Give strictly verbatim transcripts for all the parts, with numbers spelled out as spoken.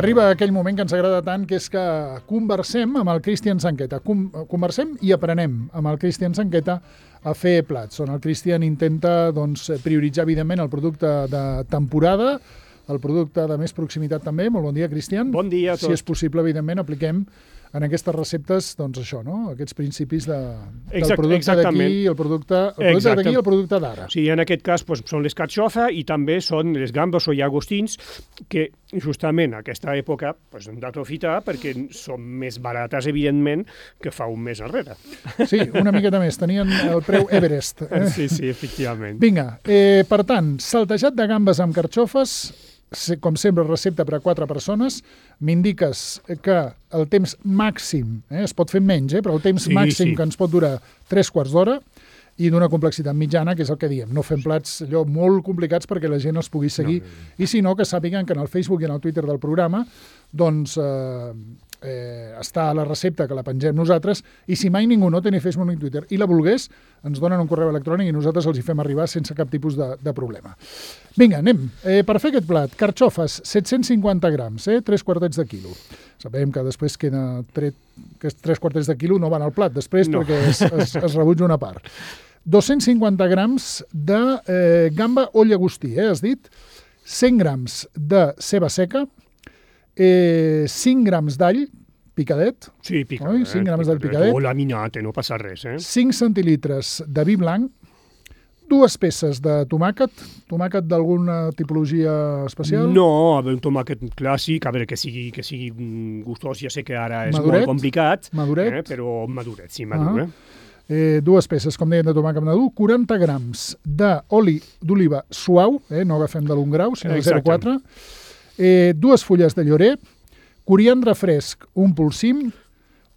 Arriba aquell moment que ens agrada tant, que és que conversem amb el Cristian Sanqueta. Com, conversem i aprenem amb el Cristian Sanqueta a fer plats, on el Cristian intenta doncs, prioritzar, evidentment, el producte de temporada, el producte de més proximitat també. Molt bon dia, Cristian. Bon dia a tots. Si és possible, evidentment, apliquem en aquestes receptes, doncs això, no? Aquests principis de, del Exact, producte d'aquí, el producte, el producte d'aquí i el producte d'ara. Sí, en aquest cas pues, són les carxofes i també són les gambes o llagostins que justament a aquesta època pues, hem d'aprofitar perquè són més barates, evidentment, que fa un mes enrere. Sí, una miqueta més. Tenien el preu Everest. Eh? Sí, sí, efectivament. Vinga, eh, per tant, saltejat de gambes amb carxofes, com sempre, recepta per a quatre persones. M'indiques que el temps màxim, eh, es pot fer menys, eh, però el temps sí, màxim sí. que ens pot durar tres quarts d'hora i d'una complexitat mitjana, que és el que diem. No fem plats allò molt complicats perquè la gent els pugui seguir. No, no, no. I si no, que sàpiguen que en el Facebook i en el Twitter del programa doncs eh, eh, està la recepta que la pengem nosaltres, i si mai ningú no té ni Facebook ni Twitter i la volgués, ens donen un correu electrònic i nosaltres els hi fem arribar sense cap tipus de, de problema. Vinga, anem. Eh, per fer aquest plat, carxofes, set-cents cinquanta grams, eh, tres quartets de quilo. Sabem que després queda tret, que tres quartets de quilo no van al plat després no. perquè es, es, es rebutja una part. dos-cents cinquanta grams de eh, gamba o llagostí, eh, has dit, cent grams de ceba seca, eh, cinc grams d'all picadet, sí, picadet, cinc grams d'all picadet, o laminat, no passa res, eh? cinc centilitres de vi blanc, dues peces de tomàquet, tomàquet d'alguna tipologia especial? No, un tomàquet clàssic, a veure, que sigui, que sigui gustós, ja sé que ara és maduret, molt complicat, maduret. Eh, però maduret, sí, madur. Uh -huh. eh, dues peces, com deien, de tomàquet madur, quaranta grams d'oli d'oliva suau, eh, no agafem de l'un grau, sinó de zero coma quatre, eh, dues fulles de llorer, coriandre fresc, un polsim,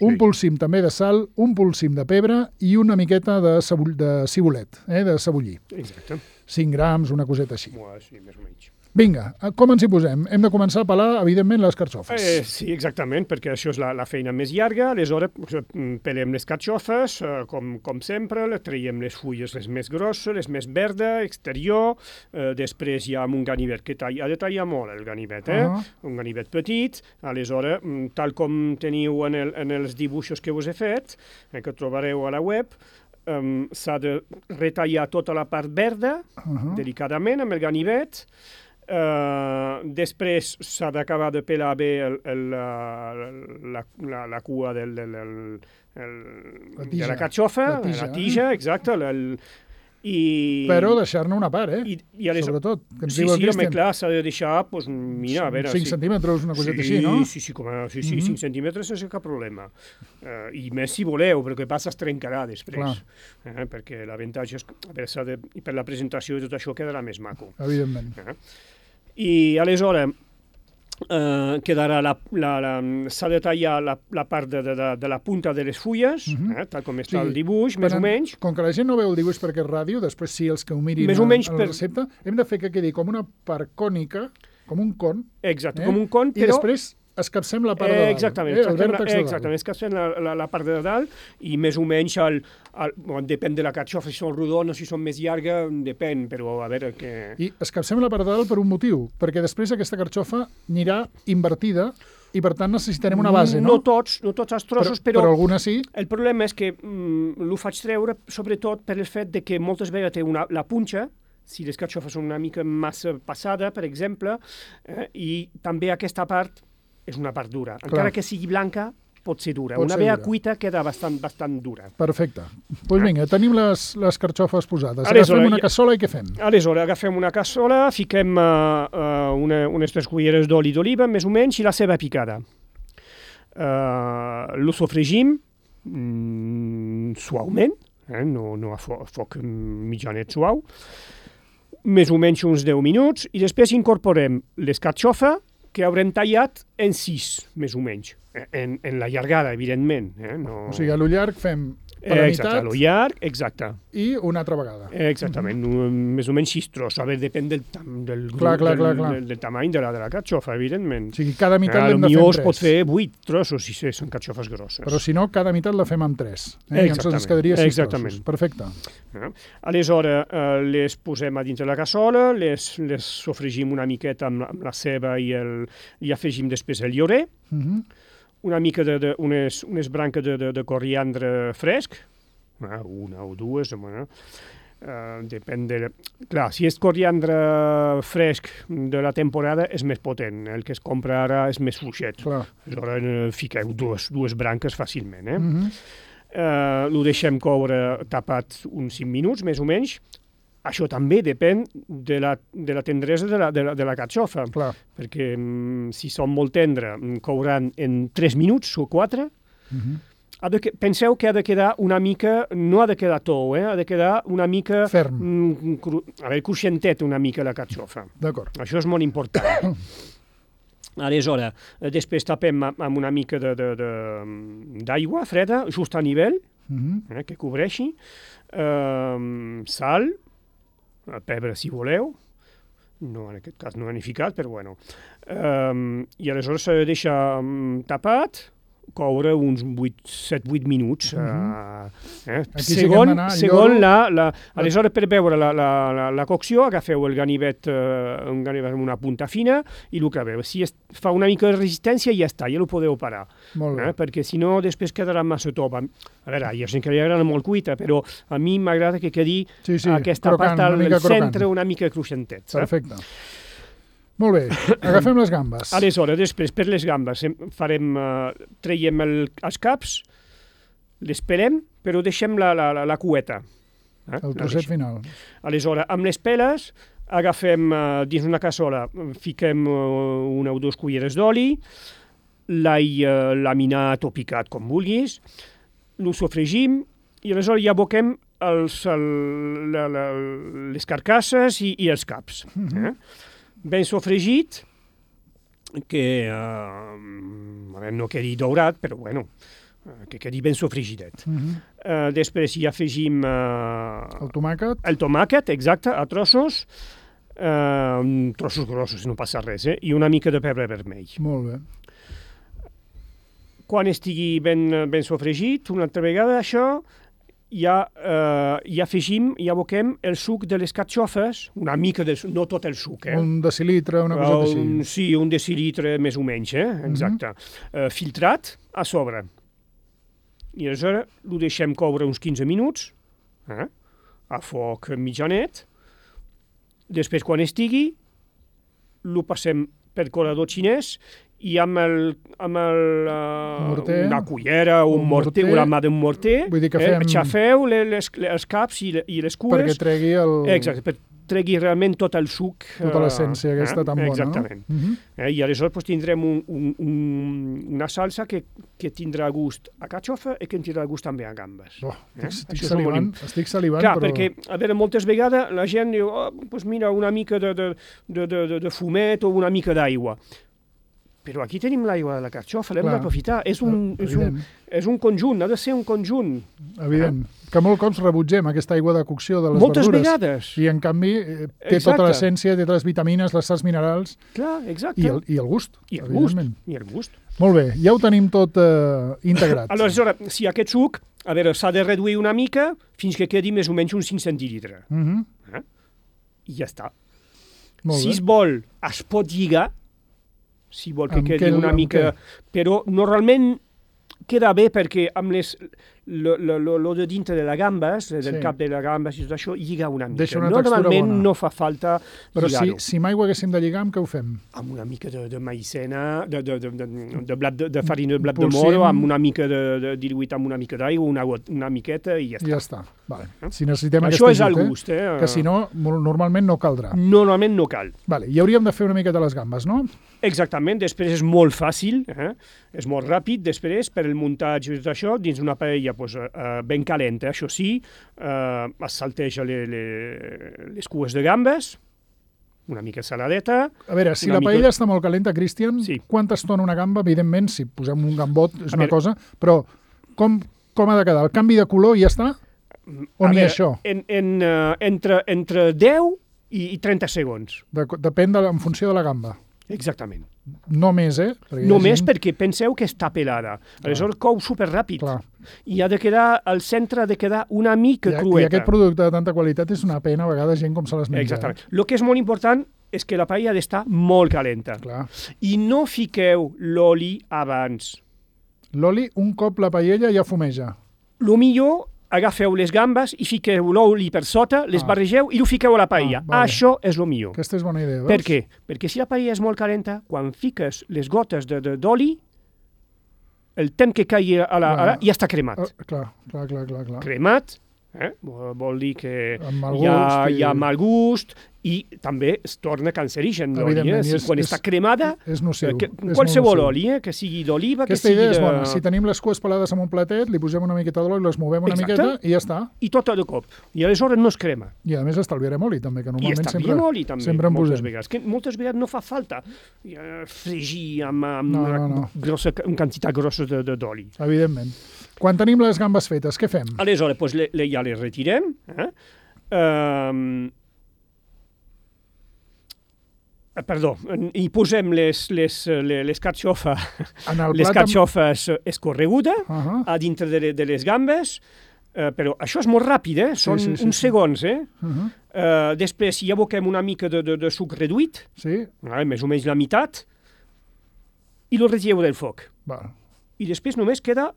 un sí. polsim també de sal, un polsim de pebre i una miqueta de, cebull, de cibulet, eh, de cebollí. Exacte. cinc grams, una coseta així. Bueno, sí, més o menys. Vinga, com ens hi posem? Hem de començar a pelar, evidentment, les carxofes. Eh, sí, exactament, perquè això és la, la feina més llarga. Aleshores, pelem les carxofes, eh, com, com sempre, traiem les fulles les més grosses, les més verdes, exterior, eh, després hi ha un ganivet que talla, ha de tallar molt el ganivet, eh? Uh -huh. Un ganivet petit. Aleshores, tal com teniu en, el, en els dibuixos que us he fet, eh, que trobareu a la web, um, s'ha de retallar tota la part verda, uh -huh. delicadament, amb el ganivet. Uh, després s'ha d'acabar de pelar bé el, el, la, la, la, la cua del, del, el, el, la tija, de la carxofa, la tija, la tija, exacte, el, i... Però deixar-ne una part, eh? I, i aleshores, sobretot. Que ens sí, diu el sí, home, Cristian. clar, s'ha de deixar, doncs, mira, a veure... cinc sí. centímetres, una coseta sí, així, no? Sí, sí, com a, sí, sí, mm -hmm. cinc centímetres sense cap problema. Uh, I més si voleu, perquè passa es trencarà després. Eh, perquè l'avantatge és... A veure, de, i per la presentació i tot això quedarà més maco. Evidentment. Eh? I aleshores eh, quedarà la, la, la, s'ha de tallar la, la part de, de, de la punta de les fulles, uh -huh. eh, tal com està sí, el dibuix, més en, o menys. Com que la gent no veu el dibuix perquè és ràdio, després sí els que ho mirin més o menys a, a la per... recepta, hem de fer que quedi com una part cònica, com un con. Exacte, eh? com un con, però... I després escapcem la part de dalt. Exactament, eh? escapcem, la, exactament, escapcem la, la, la part de dalt i més o menys el, el, bon, depèn de la carxofa, si són rodones, si són més llargues, depèn, però a veure que... I escapcem la part de dalt per un motiu, perquè després aquesta carxofa anirà invertida i per tant necessitarem una base, no? No tots, no tots els trossos, però... Però, però alguna sí. El problema és que mm, l'ho faig treure sobretot per el fet de que moltes vegades té una, la punxa, si les carxofes són una mica massa passada, per exemple, eh, i també aquesta part és una part dura. Encara Clar. que sigui blanca, pot ser dura. Pot una ser vea dura. cuita queda bastant, bastant dura. Perfecte. Doncs pues vinga, tenim les, les carxofes posades. Aleshores, agafem una cassola i què fem? Aleshores, agafem una cassola, fiquem uh, uh, una, unes tres culleres d'oli d'oliva, més o menys, i la ceba picada. Uh, lo sofregim mm, suaument, eh? no, no a, fo a foc mitjanet suau, més o menys uns deu minuts, i després incorporem les carxofes, que haurem tallat en sis, més o menys. En, en la llargada, evidentment. Eh? No... O sigui, a lo llarg fem per a exacte, meitat a lo llarg, exacte. i una altra vegada. Exactament, uh -huh. més o menys sis trossos. A veure, depèn del, tam del, clar, clar, del, clar, clar. del, del tamany de la, de la carxofa, evidentment. O sigui, cada meitat eh, l'hem de fer potser amb es pot tres. fer vuit trossos si són carxofes grosses. Però si no, cada meitat la fem amb tres. Eh? Llavors ens quedaria sis exactament. trossos. Perfecte. Eh? Aleshores, eh, les posem a dins de la cassola, les, les sofregim una miqueta amb la, amb la ceba i, el, i afegim després el llorer, Uh -huh. una mica de, de unes, unes branques de, de, de coriandre fresc, eh, una o dues, bueno, eh, depèn de... Clar, si és coriandre fresc de la temporada és més potent, el que es compra ara és més fluixet. Clar. Aleshores eh, fiqueu dues, dues branques fàcilment. Eh? Uh -huh. eh, ho deixem coure tapat uns cinc minuts, més o menys. Això també depèn de la, de la tendresa de la, de la, de la carxofa, Clar. perquè mm, si són molt tendre, couran en tres minuts o quatre. Uh -huh. Ha de que, penseu que ha de quedar una mica, no ha de quedar tou, eh? Ha de quedar una mica... Ferm. Mm, cru, a veure, cruixentet una mica la carxofa. D'acord. Això és molt important. Aleshores, després tapem amb una mica d'aigua freda, just a nivell, Uh -huh. eh, que cobreixi, eh, sal, pebre si voleu, no, en aquest cas no n'he ficat, però bueno. Eh, I aleshores s'ha de deixar um, tapat, coure uns set vuit minuts. Uh -huh. eh, eh? Segon, sí segon la, la... Aleshores, per veure la, la, la, la cocció, agafeu el ganivet, eh, un ganivet amb una punta fina i el claveu. Si es, fa una mica de resistència, ja està, ja el podeu parar. Molt bé. Eh? Perquè si no, després quedarà massa top. A veure, hi ha gent que li agrada molt cuita, però a mi m'agrada que quedi sí, sí, aquesta crocant, part al centre crocant. una mica cruixentet. Perfecte. Molt bé, agafem les gambes. Aleshores, després, per les gambes, farem, uh, traiem el, els caps, les pelem, però deixem la, la, la, la cueta. Eh? El trosset final. Aleshores, amb les peles, agafem uh, dins una cassola, fiquem uh, una o dues culleres d'oli, l'all uh, laminat o picat, com vulguis, lo sofregim i aleshores ja aboquem els, el, la, la, les carcasses i, i els caps. Uh -huh. eh? Ben sofregit, que eh, a veure, no quedi daurat, però bueno, que quedi ben sofregidet. Uh -huh. eh, després hi afegim eh, el tomàquet. El tomàquet, exacte, a trossos, eh, trossos grossos, no passa res, eh? I una mica de pebre vermell. Molt bé. Quan estigui ben, ben sofregit, una altra vegada això, ja, eh, ja afegim, ja aboquem el suc de les carxofes, una mica, de, no tot el suc, eh? Un decilitre, una cosa així. Un, sí, un decilitre més o menys, eh? Exacte. Uh -huh. eh, filtrat a sobre. I aleshores ho deixem coure uns quinze minuts, eh? A foc mitjanet. Després, quan estigui, ho passem per colador xinès i amb, el, amb el, uh, morter, una cullera, un, un morter, morter, una mà d'un morter, vull dir que fem... eh, xafeu les, les, els caps i, i les cues. Perquè tregui el... Exacte, per tregui realment tot el suc. Tota l'essència aquesta eh? tan bona, exactament. no? Uh-huh. eh, I aleshores pues, tindrem un, un, un, una salsa que, que tindrà gust a carxofa i que tindrà gust també a gambes. Oh, eh? estic, salivant, estic salivant, Clar, però... perquè, a veure, moltes vegades la gent diu, oh, pues mira, una mica de, de, de, de, de fumet o una mica d'aigua. Però aquí tenim l'aigua de la carxofa, l'hem d'aprofitar. És, un, és, un, és un conjunt, ha de ser un conjunt. Evident. Eh? Que molt cops rebutgem aquesta aigua de cocció de les Moltes verdures. Moltes vegades. I en canvi eh, té exacte. Tota l'essència, té totes les vitamines, les sals minerals. Clar, exacte. I el, i el gust. I el gust. I el gust. Molt bé, ja ho tenim tot eh, integrat. Aleshores, si aquest suc, a veure, s'ha de reduir una mica fins que quedi més o menys uns cinc centilitres. Uh -huh. eh? I ja està. Molt si bé. es vol, es pot lligar, si vol que amb quedi què, una mica... Però normalment queda bé perquè amb les, lo, lo, lo, lo de dintre de la gambes, del sí. cap de la gambes i tot això, lliga una mica. Deixa una normalment bona. no fa falta però lligar-ho. si, si mai ho haguéssim de lligar, amb què ho fem? Amb una mica de, de maïsena, de, de, de, de, de, blat de, de farina de blat Pulsim. de moro, amb una mica de, de diluït amb una mica d'aigua, una, una miqueta i ja està. I ja està. Vale. Si necessitem això aquest és ajut, el gust, eh? Que si no, normalment no caldrà. Normalment no cal. Vale. I hauríem de fer una miqueta les gambes, no? Exactament, després és molt fàcil, eh? És molt ràpid, després, per el muntatge i tot això, dins una paella pues, eh, ben calenta, això sí, eh, es salteja le, le, les cues de gambes, una mica saladeta... A veure, si la paella mica... està molt calenta, Cristian, sí. quanta estona una gamba? Evidentment, si posem un gambot és a una veure... cosa, però com, com com ha de quedar? El canvi de color i ja està? O n'hi ha això? En, en, uh, entre, entre deu i, i trenta segons. De, depèn de, en funció de la gamba. Exactament. No més, eh? Perquè Només gent... perquè penseu que està pelada. Aleshores cou superràpid. Clar. I ha de quedar, al centre ha de quedar una mica I, crueta. I aquest producte de tanta qualitat és una pena a vegades gent com se les menja. Exactament. El que és molt important és que la paella ha d'estar molt calenta. Clar. I no fiqueu l'oli abans. L'oli, un cop la paella ja fumeja. Lo millor, agafeu les gambes i fiqueu l'oli per sota, les Ah. barregeu i ho fiqueu a la paella. Ah, vale. Això és lo millor. Aquesta és bona idea, veus? Per què? Perquè si la paella és molt calenta, quan fiques les gotes de, de, d'oli, el temps que caigui a la, a la, ja està cremat. Uh, clar, clar, clar, clar, clar. Cremat, eh? vol dir que Amb mal hi ha, gust i- hi ha mal gust i també es torna cancerigen l'oli. Eh? Evidentment, i Si, és- quan és- està cremada, És nociu. eh, que, és qualsevol molt nociu. oli, eh? que sigui d'oliva, que Aquesta sigui idea és de... bona. Si tenim les cues pelades en un platet, li posem una miqueta d'oli, les movem una Exacte. miqueta i ja està. I tot de cop. I aleshores no es crema. I a més estalviarem oli, també, que I normalment està sempre, bien oli, també, sempre en moltes posem. vegades. Que moltes vegades no fa falta eh, fregir amb, amb No, una, no, no. Grossa, una quantitat grossa de, de, d'oli. Evidentment. Quan tenim les gambes fetes, què fem? Aleshores, pues, le, le, ja les retirem. Eh? Um, perdó, hi posem les, les, les, les carxofa, En el les plat amb- carxofes escorregudes Uh -huh. a dintre de, de les gambes, eh, però això és molt ràpid, eh? Són sí, sí, uns sí. segons, eh? Uh -huh. Uh, després hi aboquem una mica de, de, de suc reduït, Sí? eh? més o menys la meitat, i lo retireu del foc. Va, I després només queda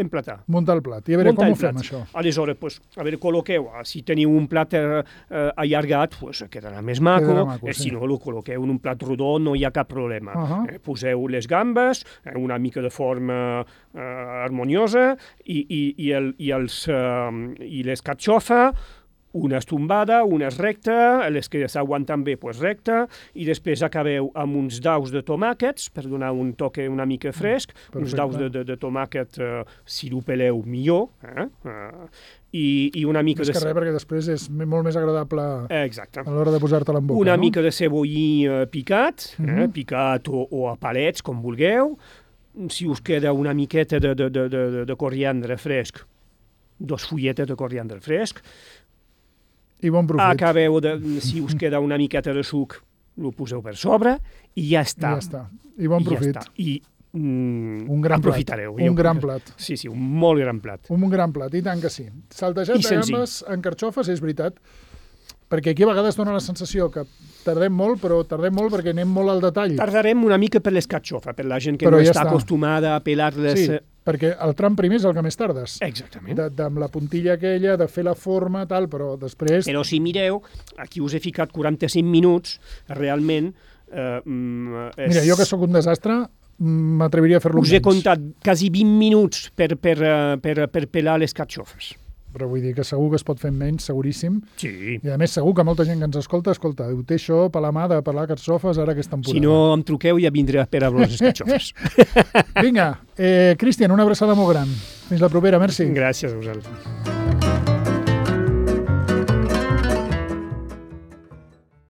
emplatar. muntar el plat. I a veure, Muntar com el ho fem, plat. això? Aleshores, pues, a veure, col·loqueu, si teniu un plat eh, eh, allargat, pues, quedarà més maco, Quedarà maco, eh, sí. si no, lo col·loqueu en un plat rodó, no hi ha cap problema. Uh -huh. eh, poseu les gambes, eh, una mica de forma eh, harmoniosa, i, i, i, el, i, els, eh, i les carxofa, una és tombada, una és recta, les que s'aguanten bé, pues, recta, i després acabeu amb uns daus de tomàquets, per donar un toque una mica fresc, Perfecte. uns daus de, de, de tomàquet, eh, si ho peleu millor, eh? Uh, i, i una mica Més de... que res, perquè després és m- molt més agradable Eh, Exacte. a l'hora de posar-te-la en boca, Una no? mica de cebollí eh, picat, eh? Mhm. picat o, o a palets, com vulgueu. Si us queda una miqueta de, de, de, de, de coriandre fresc, dos fulletes de coriandre fresc. I bon profit. Acabeu de, si us queda una miqueta de suc, ho poseu per sobre i ja I està. ja està. I bon I ja profit. està. I mm, Un gran aprofitareu. plat. Un Jo gran crec que- plat. Sí, sí, un molt gran plat. Un gran plat, i tant que sí. Saltejat I de senzill. gambes en carxofes, és veritat, perquè aquí a vegades dona la sensació que tardem molt, però tardem molt perquè anem molt al detall. Tardarem una mica per l'escatxofa, per la gent que Però no ja està està. acostumada a pelar-les. Sí, perquè el tram primer és el que més tardes. Exactament. De, de, amb la puntilla aquella, de fer la forma, tal, però després... Però si mireu, aquí us he ficat quaranta-cinc minuts, realment... Eh, mm, és... Mira, jo que sóc un desastre, mm, m'atreviria a fer-lo Us he menys. comptat quasi vint minuts per, per, eh, per, per pelar les carxofes. Però vull dir que segur que es pot fer menys, seguríssim. Sí. I a més segur que molta gent que ens escolta, escolta, ho té això per la mà de pelar carxofes ara que és temporada. Si no em truqueu, ja vindré a pelar-vos les carxofes. Vinga, eh, Cristian, una abraçada molt gran. Fins la propera, merci. Gràcies a vosaltres.